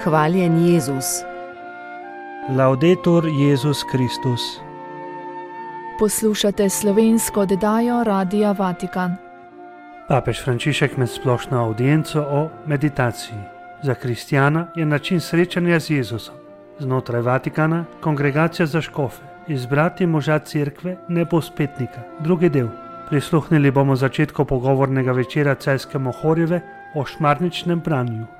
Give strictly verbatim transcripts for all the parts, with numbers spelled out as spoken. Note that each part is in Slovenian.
Hvaljen Jezus. Laudetur Jezus Kristus. Poslušate slovensko oddajo Radia Vatikan. Papež Frančišek med splošno audienco o meditaciji. Za kristjana je način srečanja z Jezusom. Znotraj Vatikana kongregacija za škofe, izbrati moža cerkve nepospetnika. Drugi del. Prisluhnili bomo začetku pogovornega večera Celjske Mohorjeve o šmarničnem branju.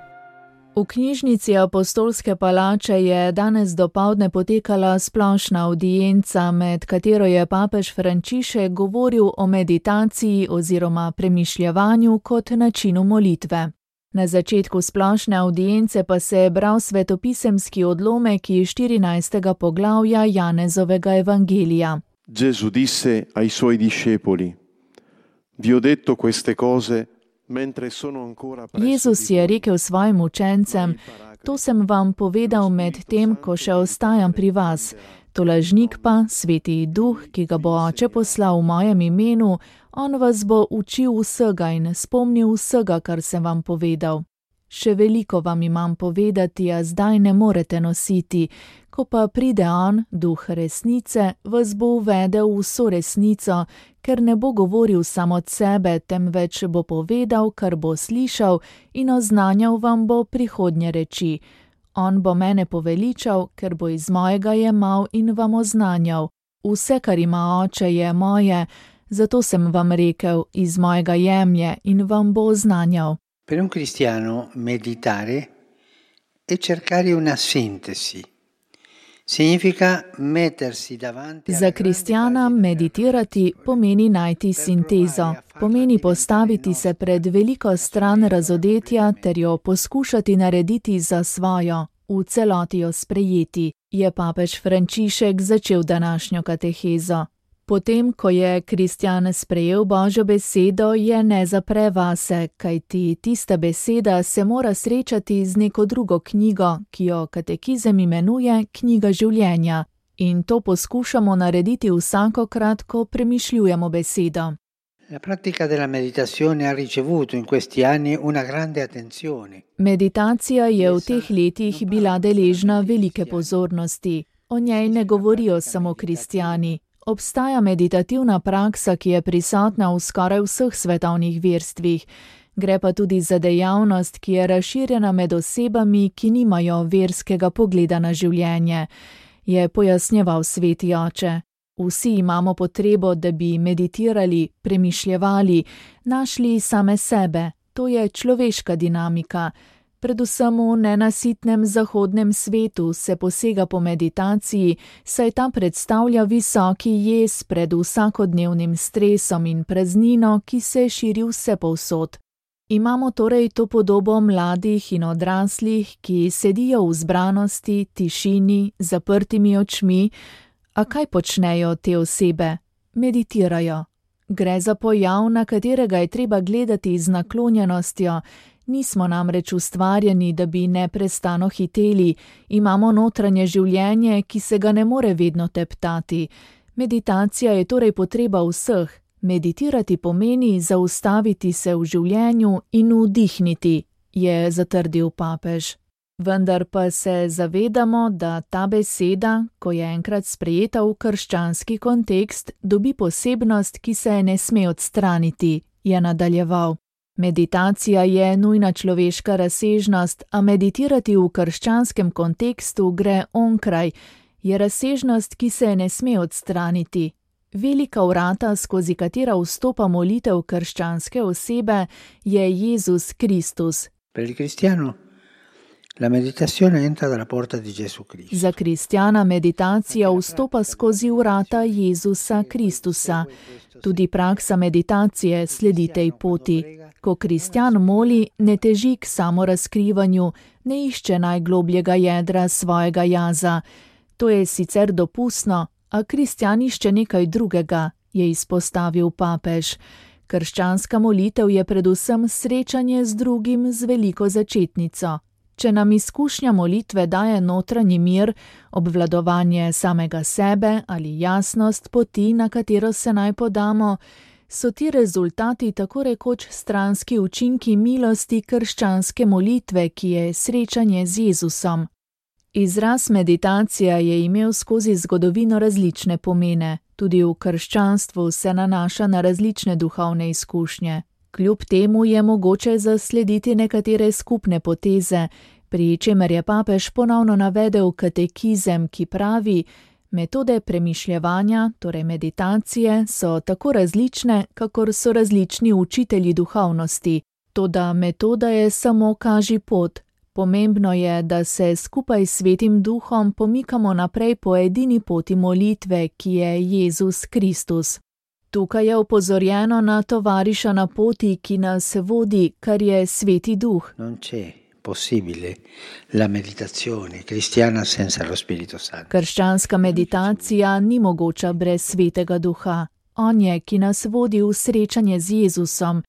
V knjižnici Apostolske palače je danes dopoldne potekala splošna audienca, med katero je papež Frančišek govoril o meditaciji oziroma premišljevanju kot načinu molitve. Na začetku splošne audience pa se je bral svetopisemski odlomek iz štirinajstega poglavja Janezovega evangelija. Gesù disse ai suoi discepoli: Vi ho detto queste cose mentre sono ancora presso. Jezus je rekel svojim učencem: To sem vam povedal med tem, ko še ostajam pri vas. To lažnik pa, Sveti Duh, ki ga bo Oče poslal v mojem imenu, on vas bo učil vsega in spomnil vsega, kar sem vam povedal. Še veliko vam imam povedati, a zdaj ne morete nositi. Ko pa pride on, Duh resnice, vas bo uvedel v vso resnico, ker ne bo govoril samo od sebe, temveč bo povedal, kar bo slišal, in oznanjal vam bo prihodnje reči. On bo mene poveličal, ker bo iz mojega jemal in vam oznanjal. Vse, kar ima Oče, je moje, zato sem vam rekel, iz mojega jemlje in vam bo oznanjal. Per un cristiano meditare è cercare una sintesi. Significa mettersi davanti. Za kristjana meditirati pomeni najti sintezo, pomeni postaviti se pred veliko stran razodetja ter jo poskušati narediti za svojo, v celoti jo sprejeti, je papež Frančišek začel današnjo katehezo. Potem, ko je kristjan sprejel Božjo besedo, je ne zapre vase, kajti tista beseda se mora srečati z neko drugo knjigo, ki jo katekizem imenuje knjiga življenja. In to poskušamo narediti vsakokrat, ko premišljujemo besedo. La pratica della meditazione ha ricevuto in questi anni una grande attenzione. Meditacija je v teh letih bila deležna velike pozornosti. O njej ne govorijo samo kristjani. Obstaja meditativna praksa, ki je prisotna v skoraj vseh svetovnih verstvih. Gre pa tudi za dejavnost, ki je razširjena med osebami, ki nimajo verskega pogleda na življenje, je pojasnjeval Sveti Oče. Vsi imamo potrebo, da bi meditirali, premišljevali, našli same sebe. To je človeška dinamika. Predvsem v nenasitnem zahodnem svetu se posega po meditaciji, saj ta predstavlja visoki jez pred vsakodnevnim stresom in praznino, ki se širi vsepovsod. Imamo torej to podobo mladih in odraslih, ki sedijo v zbranosti, tišini, zaprtimi očmi. A kaj počnejo te osebe? Meditirajo. Gre za pojav, na katerega je treba gledati z naklonjenostjo. Nismo namreč ustvarjeni, da bi neprestano hiteli, imamo notranje življenje, ki se ga ne more vedno teptati. Meditacija je torej potreba vseh. Meditirati pomeni zaustaviti se v življenju in vdihniti, je zatrdil papež. Vendar pa se zavedamo, da ta beseda, ko je enkrat sprejeta v krščanski kontekst, dobi posebnost, ki se je ne sme odstraniti, je nadaljeval. Meditacija je nujna človeška razsežnost, a meditirati v krščanskem kontekstu gre onkraj, je razsežnost, ki se je ne sme odstraniti. Velika vrata, skozi katera vstopa molitev krščanske osebe, je Jezus Kristus. Per il cristiano la meditazione entra dalla porta di Gesù Cristo. Za kristjana meditacija vstopa skozi vrata Jezusa Kristusa. Tudi praksa meditacije sledi tej poti. Ko kristjan moli, ne teži k samorazkrivanju, ne išče najglobljega jedra svojega jaza. To je sicer dopustno, a kristjan išče nekaj drugega, je izpostavil papež. Krščanska molitev je predvsem srečanje z drugim z veliko začetnico. Če nam izkušnja molitve daje notranji mir, obvladovanje samega sebe ali jasnost poti, na katero se naj podamo, so ti rezultati tako rekoč stranski učinki milosti krščanske molitve, ki je srečanje z Jezusom. Izraz meditacija je imel skozi zgodovino različne pomene, tudi v krščanstvu se nanaša na različne duhovne izkušnje. Kljub temu je mogoče zaslediti nekatere skupne poteze, pri čemer je papež ponovno navedel katekizem, ki pravi: metode premišljevanja, torej meditacije, so tako različne, kakor so različni učitelji duhovnosti. Toda metoda je samo kaži pot. Pomembno je, da se skupaj s Svetim Duhom pomikamo naprej po edini poti molitve, ki je Jezus Kristus. Tukaj je opozorjeno na tovariša na poti, ki nas vodi, kar je Sveti Duh. Non c'è possibile la meditazione cristiana senza lo Spirito Santo. Krščanska meditacija ni mogoča brez Svetega Duha. On je, ki nas vodi v srečanje z Jezusom.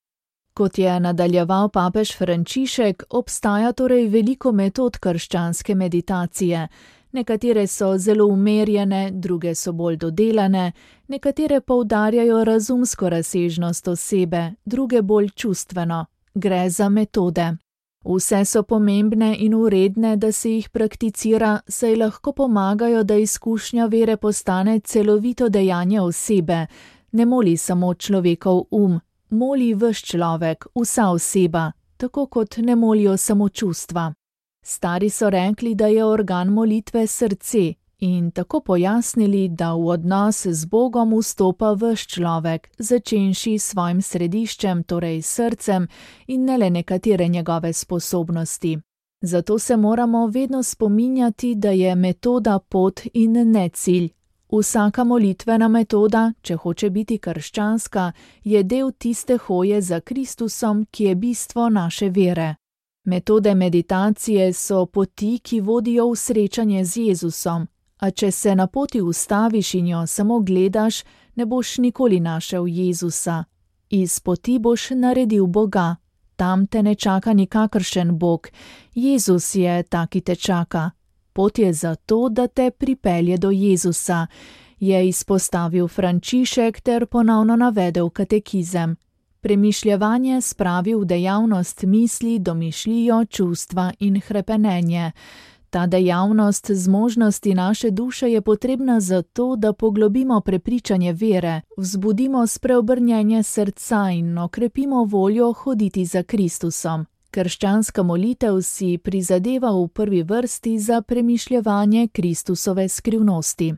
Kot je nadaljeval papež Frančišek, obstaja torej veliko metod krščanske meditacije. Nekatere so zelo umerjene, druge so bolj dodelane, nekatere poudarjajo razumsko razsežnost osebe, druge bolj čustveno. Gre za metode. Vse so pomembne in vredne, da se jih prakticira, saj lahko pomagajo, da izkušnja vere postane celovito dejanje osebe. Ne moli samo človekov um, moli ves človek, vsa oseba, tako kot ne molijo samo čustva. Stari so rekli, da je organ molitve srce, in tako pojasnili, da v odnos z Bogom vstopa ves človek, začenši s svojim središčem, torej srcem, in ne le nekatere njegove sposobnosti. Zato se moramo vedno spominjati, da je metoda pot in ne cilj. Vsaka molitvena metoda, če hoče biti krščanska, je del tiste hoje za Kristusom, ki je bistvo naše vere. Metode meditacije so poti, ki vodijo v srečanje z Jezusom, a če se na poti ustaviš in jo samo gledaš, ne boš nikoli našel Jezusa. Iz poti boš naredil Boga. Tam te ne čaka nikakršen Bog. Jezus je ta, ki te čaka. Pot je zato, da te pripelje do Jezusa, je izpostavil Frančišek ter ponovno navedel katekizem. Premišljevanje spravi v dejavnost misli, domišljijo, čustva in hrepenenje. Ta dejavnost zmožnosti naše duše je potrebna zato, da poglobimo prepričanje vere, vzbudimo spreobrnjenje srca in okrepimo voljo hoditi za Kristusom. Krščanska molitev si prizadeva v prvi vrsti za premišljevanje Kristusove skrivnosti.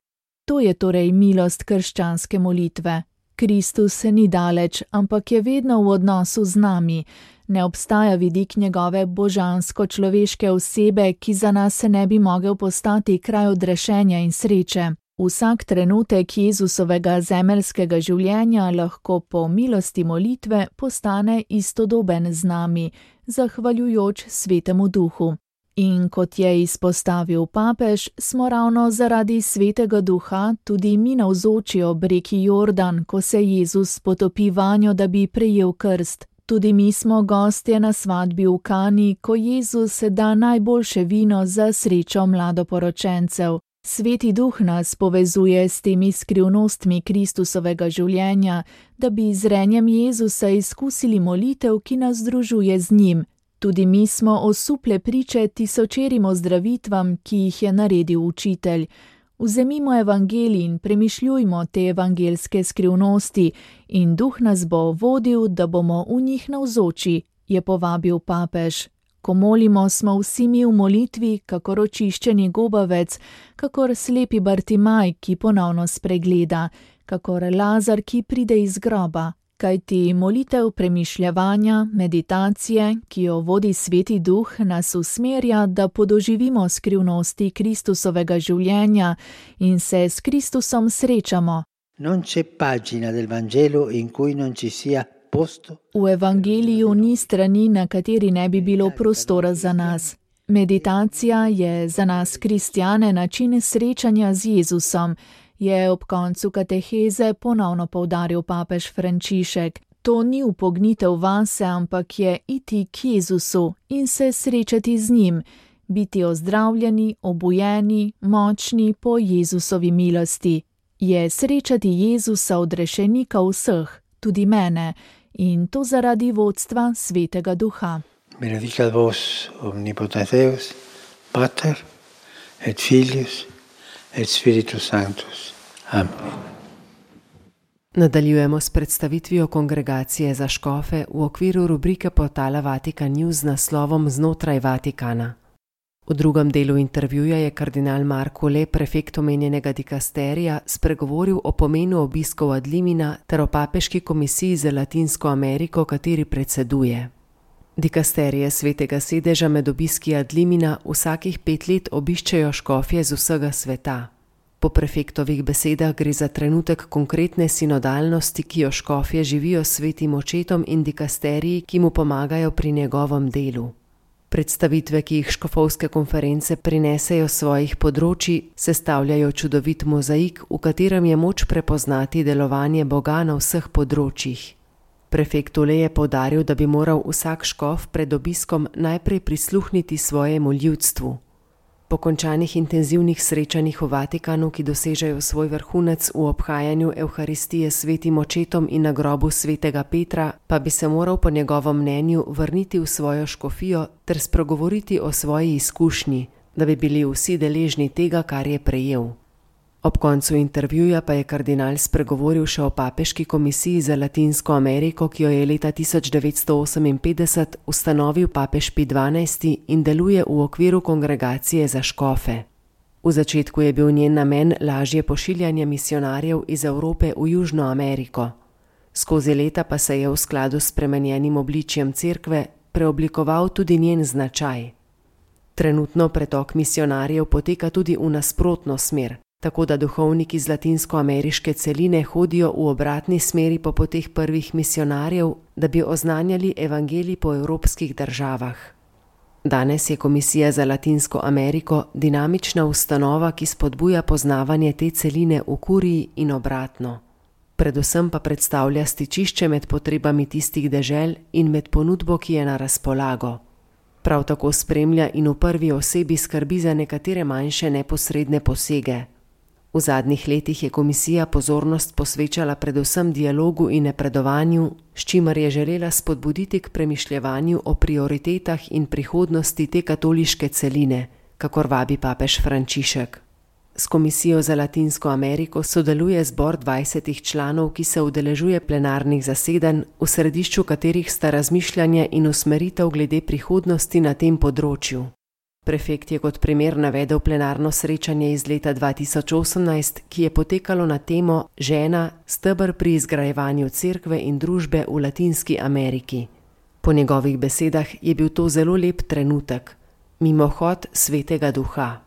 To je torej milost krščanske molitve. Kristus ni daleč, ampak je vedno v odnosu z nami. Ne obstaja vidik njegove božansko-človeške osebe, ki za nas ne bi mogel postati kraj odrešenja in sreče. Vsak trenutek Jezusovega zemeljskega življenja lahko po milosti molitve postane istodoben z nami, zahvaljujoč Svetemu Duhu. In kot je izpostavil papež, smo ravno zaradi Svetega Duha tudi mi navzoči ob reki Jordan, ko se Jezus potopi vanjo, da bi prejel krst. Tudi mi smo gostje na svatbi v Kani, ko Jezus da najboljše vino za srečo mladoporočencev. Sveti Duh nas povezuje s temi skrivnostmi Kristusovega življenja, da bi z renjem Jezusa izkusili molitev, ki nas združuje z njim. Tudi mi smo osuple priče tisočerim ozdravitvam, ki jih je naredil učitelj. Vzemimo evangelij in premišljujmo te evangelske skrivnosti in Duh nas bo vodil, da bomo v njih navzoči, je povabil papež. Ko molimo, smo vsi mi v molitvi, kakor očiščeni gobavec, kakor slepi Bartimaj, ki ponovno spregleda, kakor Lazar, ki pride iz groba. Kajti molitev premišljevanja, meditacije, ki jo vodi Sveti Duh, nas usmerja, da podoživimo skrivnosti Kristusovega življenja in se s Kristusom srečamo. Non c'è pagina del Vangelo in cui non ci sia posto. V evangeliju ni strani, na kateri ne bi bilo prostora za nas. Meditacija je za nas kristjane način srečanja z Jezusom, je ob koncu kateheze ponovno poudaril papež Frančišek. To ni upognitev vase, ampak je iti k Jezusu in se srečati z njim, biti ozdravljeni, obujeni, močni po Jezusovi milosti. Je srečati Jezusa odrešenika vseh, tudi mene, in to zaradi vodstva Svetega Duha. Benedicat vos omnipotens Deus, Pater et Filius et Spiritus Sanctus. Amen. Nadaljujemo s predstavitvijo kongregacije za škofe v okviru rubrike portala Vatikan News z naslovom Znotraj Vatikana. V drugem delu intervjuja je kardinal Marko Le, prefekt omenjenega dikasterija, spregovoril o pomenu obiskov ad limina ter o papeški komisiji za Latinsko Ameriko, kateri predseduje. Dikasterije Svetega sedeža med obiski ad limina vsakih pet let obiščejo škofje z vsega sveta. Po prefektovih besedah gre za trenutek konkretne sinodalnosti, ki jo škofje živijo s svetim očetom in dikasteriji, ki mu pomagajo pri njegovem delu. Predstavitve, ki jih škofovske konference prinesejo svojih področji, sestavljajo čudovit mozaik, v katerem je moč prepoznati delovanje Boga na vseh področjih. Prefekt Le je poudaril, da bi moral vsak škof pred obiskom najprej prisluhniti svojemu ljudstvu. Po končanih intenzivnih srečanjih v Vatikanu, ki dosežejo svoj vrhunec v obhajanju Evharistije s svetim očetom in na grobu svetega Petra, pa bi se moral po njegovem mnenju vrniti v svojo škofijo ter spregovoriti o svoji izkušnji, da bi bili vsi deležni tega, kar je prejel. Ob koncu intervjuja pa je kardinal spregovoril še o papeški komisiji za Latinsko Ameriko, ki jo je leta tisoč devetsto oseminpetdeset ustanovil papež Pij dvanajsti in deluje v okviru kongregacije za škofe. V začetku je bil njen namen lažje pošiljanje misionarjev iz Evrope v Južno Ameriko. Skozi leta pa se je v skladu s spremenjenim obličjem cerkve preoblikoval tudi njen značaj. Trenutno pretok misionarjev poteka tudi v nasprotno smer, tako da duhovniki z latinskoameriške celine hodijo v obratni smeri po poteh prvih misionarjev, da bi oznanjali evangelij po evropskih državah. Danes je Komisija za Latinsko Ameriko dinamična ustanova, ki spodbuja poznavanje te celine v kuriji in obratno. Predvsem pa predstavlja stičišče med potrebami tistih dežel in med ponudbo, ki je na razpolago. Prav tako spremlja in v prvi osebi skrbi za nekatere manjše neposredne posege. V zadnjih letih je komisija pozornost posvečala predvsem dialogu in napredovanju, s čimer je želela spodbuditi k premišljevanju o prioritetah in prihodnosti te katoliške celine, kakor vabi papež Frančišek. S Komisijo za Latinsko Ameriko sodeluje zbor dvajsetih članov, ki se udeležuje plenarnih zasedanj, v središču katerih sta razmišljanje in usmeritev glede prihodnosti na tem področju. Prefekt je kot primer navedel plenarno srečanje iz leta dva tisoč osemnajst, ki je potekalo na temo Žena, steber pri izgrajevanju cerkve in družbe v Latinski Ameriki. Po njegovih besedah je bil to zelo lep trenutek, mimohod Svetega Duha.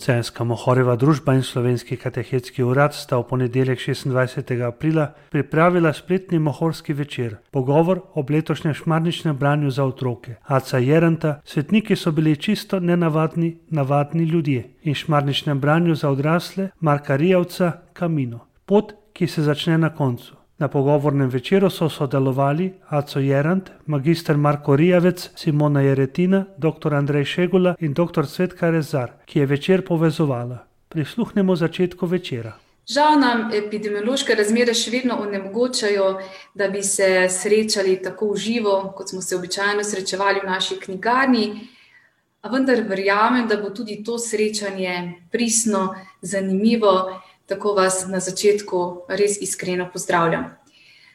Celjska Mohorjeva družba in Slovenski katehetski urad sta v ponedeljek šestindvajsetega aprila pripravila spletni mohorski večer, pogovor ob letošnjem šmarničnem branju za otroke. Aca Jeranta, svetniki so bili čisto nenavadni, navadni ljudje in šmarničnem branju za odrasle Marka Rijavca Camino. Pot, ki se začne na koncu. Na pogovornem večeru so sodelovali Aco Jerant, magister Marko Rijavec, Simona Jeretina, doktor Andrej Šegula in doktor Cvetka Rezar, ki je večer povezovala. Prisluhnemo začetku večera. Žal nam epidemiološke razmere še vedno onemogočajo, da bi se srečali tako v živo, kot smo se običajno srečevali v naši knjigarni, a vendar verjamem, da bo tudi to srečanje pristno, zanimivo. Tako vas na začetku res iskreno pozdravljam.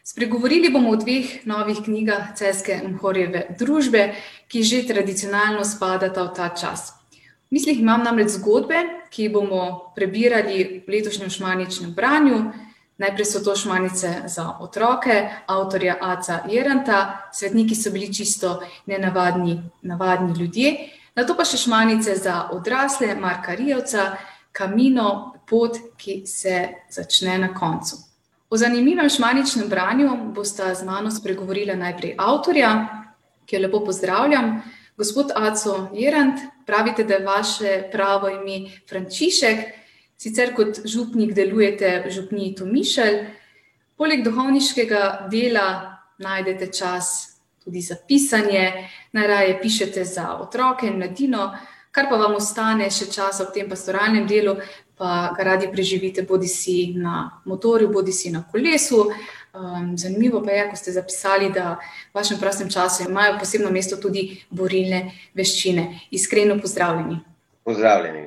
Spregovorili bomo o dveh novih knjigah Celjske Mohorjeve družbe, ki že tradicionalno spadata v ta čas. V mislih imam namreč zgodbe, ki jih bomo prebirali v letošnjem šmarničnem branju. Najprej so to šmarnice za otroke, avtorja Aca Jeranta, svetniki so bili čisto nenavadni navadni ljudje, nato pa še šmarnice za odrasle Marka Rijavca, Camino, pot, ki se začne na koncu. O zanimivem šmarničnem branju bosta z mano spregovorila najprej avtorja, ki jo lepo pozdravljam. Gospod Aco Jerant, pravite, da je vaše pravo ime Frančišek, sicer kot župnik delujete v župniji Tomišelj. Poleg duhovniškega dela najdete čas tudi za pisanje, najraje pišete za otroke in mladino, kar pa vam ostane še čas ob tem pastoralnem delu, pa ga radi preživite bodi si na motorju, bodi si na kolesu. Um, zanimivo pa je, ko ste zapisali, da v vašem prostem času imajo posebno mesto tudi borilne veščine. Iskreno pozdravljeni. Pozdravljeni.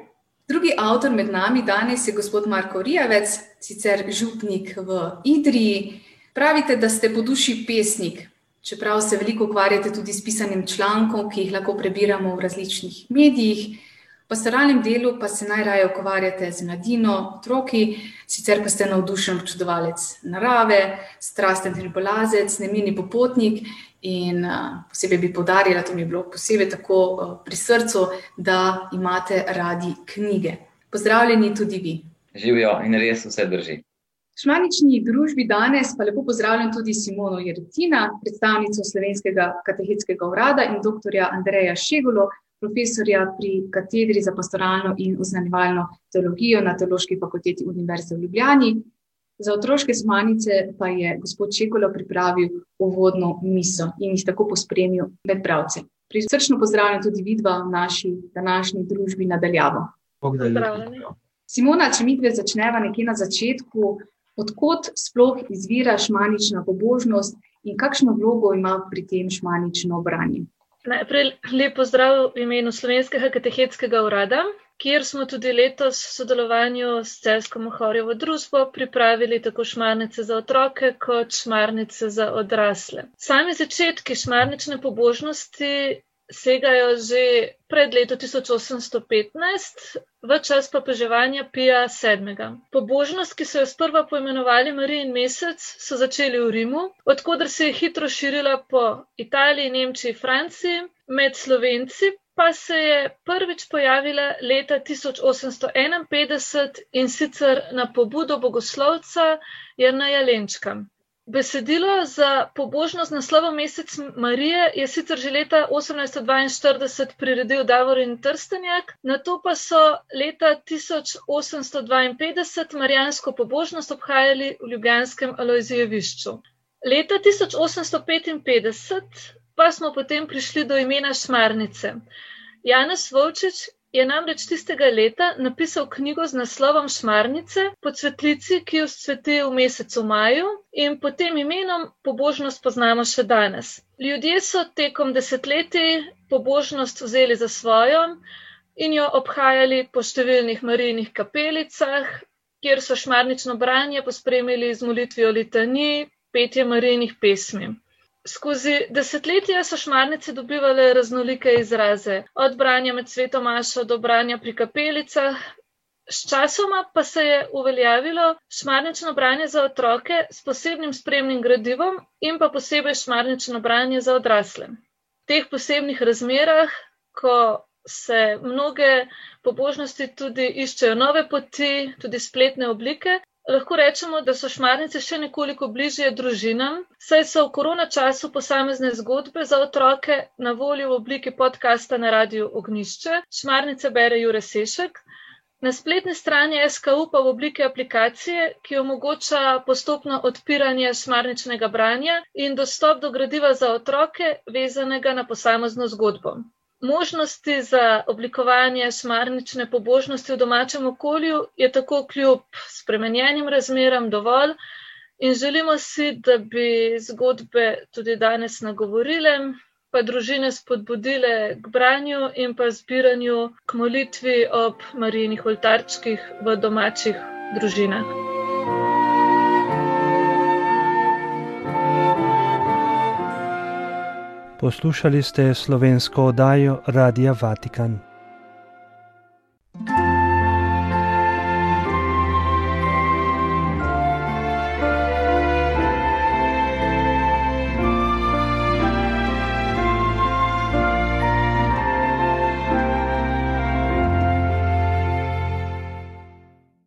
Drugi avtor med nami danes je gospod Marko Rijavec, sicer župnik v Idriji. Pravite, da ste po duši pesnik, čeprav se veliko ukvarjate tudi s pisanjem člankov, ki jih lahko prebiramo v različnih medijih. V pastoralnem delu pa se najraje ukvarjate z mladino, otroki, sicer pa ste navdušen občudovalec narave, strasten hribolazec, nemirni popotnik in uh, posebej bi poudarila, to mi je bilo posebej tako uh, pri srcu, da imate radi knjige. Pozdravljeni tudi vi. Živijo in res vse drži. V šmarnični družbi danes pa lepo pozdravljam tudi Simono Jeretina, predstavnico Slovenskega katehetskega urada in doktorja Andreja Šegolo, profesorja pri katedri za pastoralno in oznanjevalno teologijo na Teološki fakulteti Univerze v Ljubljani. Za otroške šmarnice pa je gospod Šegolo pripravil uvodno misel in jih tako pospremil med bralce. Prisrčno pozdravljam tudi vidva v naši današnji družbi nadaljavo. Pozdravljeni. Simona, če midve začneva nekje na začetku, odkot sploh izvira šmarnična pobožnost in kakšno vlogo ima pri tem šmarnično branje? Najprej lep pozdrav v imenu Slovenskega katehetskega urada, kjer smo tudi letos v sodelovanju s Celjsko Mohorjevo družbo pripravili tako šmarnice za otroke kot šmarnice za odrasle. Sami začetki šmarnične pobožnosti segajo že pred leto tisoč osemsto petnajst, v čas papeževanja Pija sedmega. Pobožnost, ki so jo sprva poimenovali Marijin mesec, so začeli v Rimu, od koder se je hitro širila po Italiji, Nemčiji, Franciji, med Slovenci pa se je prvič pojavila leta tisoč osemsto enainpetdeset in sicer na pobudo bogoslovca Jerneja Lenčka. Besedilo za pobožnost z naslovom Mesec Marije je sicer že leta osemnajststo dvainštirideset priredil Davorin Trstenjak, nato pa so leta tisoč osemsto dvainpetdeset marijansko pobožnost obhajali v ljubljanskem Alojzijevišču. Leta tisoč osemsto petinpetdeset pa smo potem prišli do imena šmarnice. Janez Volčič je namreč tistega leta napisal knjigo z naslovom Šmarnice po cvetlici, ki jo vzcveti v mesecu maju in pod tem imenom pobožnost poznamo še danes. Ljudje so tekom desetletij pobožnost vzeli za svojo in jo obhajali po številnih Marijinih kapelicah, kjer so šmarnično branje pospremili z molitvijo litanij, petje Marijinih pesmi. Skozi desetletja so šmarnice dobivale raznolike izraze, od branja med sveto mašo do branja pri kapelicah. Sčasoma pa se je uveljavilo šmarnično branje za otroke s posebnim spremnim gradivom in pa posebej šmarnično branje za odrasle. V teh posebnih razmerah, ko se mnoge pobožnosti tudi iščejo nove poti, tudi spletne oblike, lahko rečemo, da so šmarnice še nekoliko bližje družinam, saj so v korona času posamezne zgodbe za otroke na voljo v obliki podcasta na Radiu Ognjišče. Šmarnice bere Jure Sešek. Na spletni strani S K U pa v obliki aplikacije, ki omogoča postopno odpiranje šmarničnega branja in dostop do gradiva za otroke, vezanega na posamezno zgodbo. Možnosti za oblikovanje šmarnične pobožnosti v domačem okolju je tako kljub spremenjenim razmeram dovolj in želimo si, da bi zgodbe tudi danes nagovorile, pa družine spodbudile k branju in pa zbiranju k molitvi ob Marijinih oltarčkih v domačih družinah. Poslušali ste slovensko oddajo Radia Vatikan.